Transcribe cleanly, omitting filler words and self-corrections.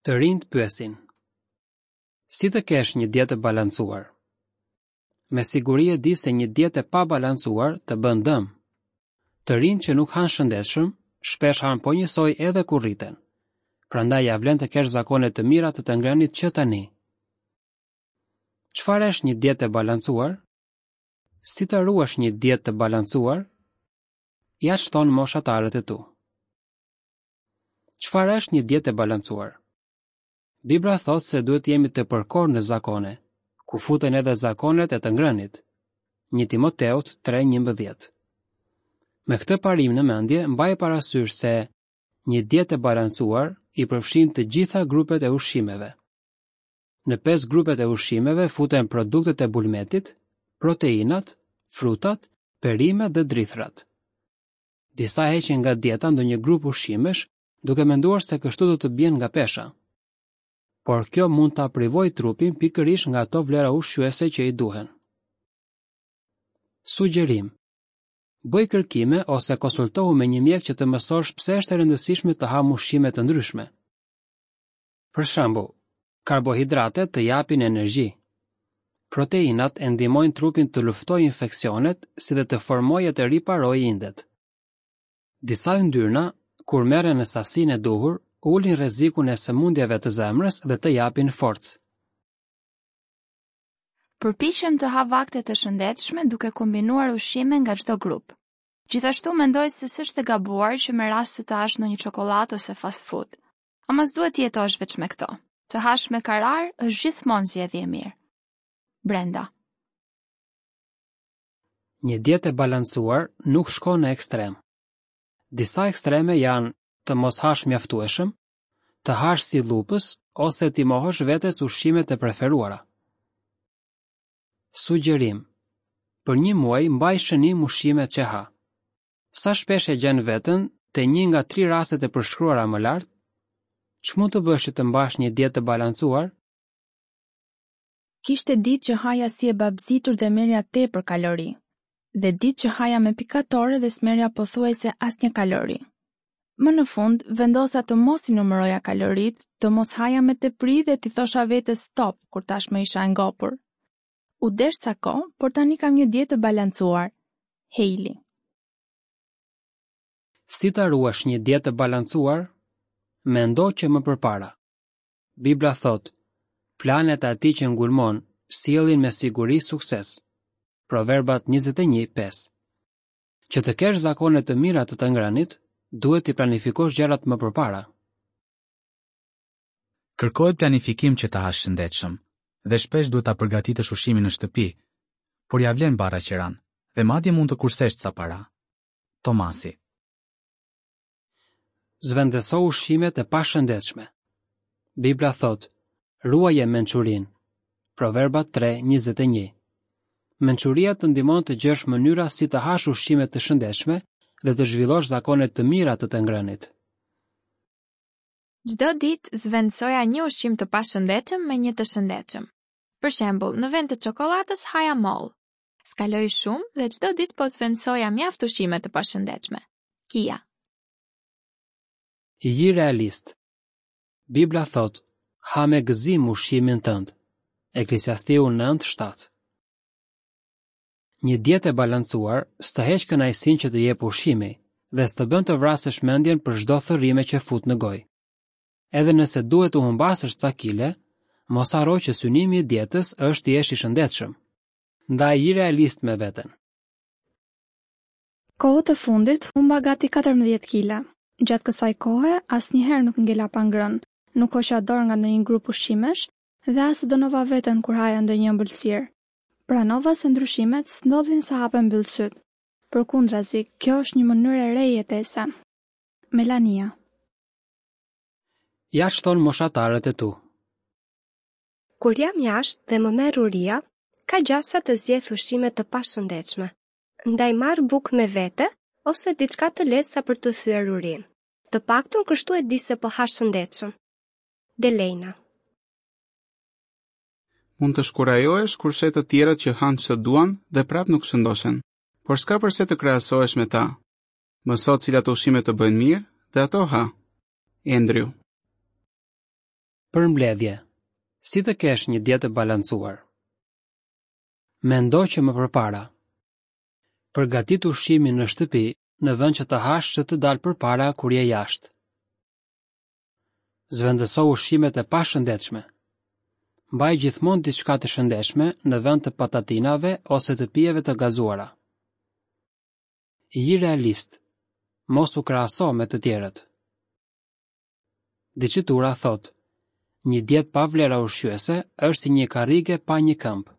Të rinjtë pyesin. Si të kesh një dietë të balancuar? Me siguri e di se një dietë e pabalancuar të bën dëm. Të rinjtë që nuk hanë shëndetshëm, shpesh hanë po njësoj edhe kur rriten. Prandaj ia vlen të kesh zakone të mira të të ngrënit që tani. Çfarë është një dietë e balancuar? Si të ruash një dietë të balancuar? Ja ç'thonë moshatarët e tu. Çfarë është një dietë e balancuar? Bibla thotë se duhet të jemi të përkorë në zakone, ku futen edhe zakonet e të ngrënit. 1 Timoteut 3:11. Me këtë parim në mendje, mbaj parasysh se një dietë e balancuar i përfshin të gjitha grupet e ushqimeve. Në pesë grupet e ushqimeve futen produktet e bulmetit, proteinat, frutat, perimet dhe drithërat. Disa heqin nga dieta ndonjë grup ushqimesh, duke menduar se kështu do të bien nga pesha. Por kjo mund ta privojë trupin pikërisht nga ato vlera ushqyese që i duhen. Sugjerim: Bëj kërkime ose konsultohu me një mjek që të mësosh pse është e rëndësishme të hamë ushqime të ndryshme. Për shembull, karbohidratet të japin energji. Proteinat e ndihmojnë trupin të luftojë infeksionet si dhe të formojë e të riparojë indet. Disa yndyrna, kur merren në sasinë e duhur, ulin rrezikun e sëmundjeve të zemrës dhe të japin forcë. Përpiqem të ha vakte të shëndetshme duke kombinuar ushqime nga çdo grup. Gjithashtu mendoj se s'është e gabuar që me raste të hash ndonjë çokollatë ose fast food. Ama s'duhet të jetosh veç me këto. Të hash me karar është gjithmonë zgjedhje e mirë. Brenda. Një dietë e balancuar nuk shkon në ekstrem. Disa ekstreme janë të mos hash mjaftueshëm, të hash si lupës ose t'i mohosh vetes ushqimet e preferuara. Sugjerim: Për një muaj mbaj shënim ushqimet që ha. Sa shpesh e gjen veten te një nga tri rastet e përshkruara më lart? Ç'mund të bësh që të mbash një dietë të balancuar? Kishte ditë që haja si e babëzitur dhe merrja tepër kalori, dhe ditë që haja me pikatore dhe s'merrja pothuajse asnjë kalori. Më në fund, vendosa të mos i numëroja kaloritë, të mos haja me tepri dhe t'i thosha vetes stop kur tashmë isha e ngopur. U desh ca kohë, por tani kam një dietë të balancuar. Hailey. Si ta ruash një dietë të balancuar? Mendo që më përpara. Bibla thotë, planet e atij që ngulmon sjellin me siguri sukses. Proverbat 21:5. Që të kesh zakone të mira të të ngrënit, duhet t'i planifikosh gjërat më përpara. Kërkohet planifikim që të hash shëndetshëm, dhe shpesh duhet ta përgatitësh ushqimin në shtëpi, por ia vlen barra qeranë, dhe madje mund të kursesh ca para. Tomasi. Zëvendëso ushqimet e pashëndetshme. Bibla thotë, ruaje mençurinë. Proverbat 3:21. Mençuria të ndihmon të gjesh mënyra si të hash ushqime të shëndetshme dhe të zhvillosh zakone të mira të të ngrënit. Çdo ditë zëvendësoja një ushqim të pashëndetshëm me një të shëndetshëm. Për shembull, në vend të çokollatës haja mollë. S'kaloi shumë dhe çdo ditë po zëvendësoja mjaft ushqime të pashëndetshme. Kia. Ji realist. Bibla thotë, ha me gëzim ushqimin tënd. Eklesiastiu 9:7. Një dietë e balancuar s'të heq kënaqësinë që të jep ushqimi dhe s'të bën të vrasësh mendjen për çdo thërrime që fut në gojë. Edhe nëse duhet të humbasësh ca kile, mos harro që synimi i dietës është të jesh i shëndetshëm. Ndaj ji realist me veten. Kohët e fundit humba gati 14 kile. Gjatë kësaj kohe asnjëherë nuk ngela pa ngrënë, nuk hoqa dorë nga ndonjë grup ushqimesh dhe as e dënova veten kur haja ndonjë ëmbëlsirë. Pranova se ndryshimet s'ndodhin sa hap e mbyll sytë. Përkundrazi, kjo është një mënyrë e re jetese. Melania. Ja ç'thonë moshatarët e tu. Kur jam jashtë dhe më merr uria, ka gjasa të zgjedh ushqime të pashëndetshme. Ndaj marr bukë me vete ose diçka të lehtë sa për të thyer urinë. Të paktën kështu e di se po ha shëndetshëm. Delejna. Mund të shkurajohesh kur sheh të tjerët që hanë ç'të duan dhe prapë nuk shëndoshen. Por s'ka përse të krahasohesh me ta. Mëso cilat ushqime të bëjnë mirë dhe ato ha. Andrew. Përmbledhje. Si të kesh një dietë të balancuar? Mendo që më përpara. Përgatit ushqimin në shtëpi në vend që të hash ç'të të dalë përpara kur je jashtë. Zëvendëso ushqimet e pashëndetshme. Mbaj gjithmonë diçka të shëndetshme në vend të patatinave ose të pijeve të gazuara. Ji realist. Mos u krahaso me të tjerët. Diçitura thotë, një dietë pa vlera ushqyese është si një karrige pa një këmbë.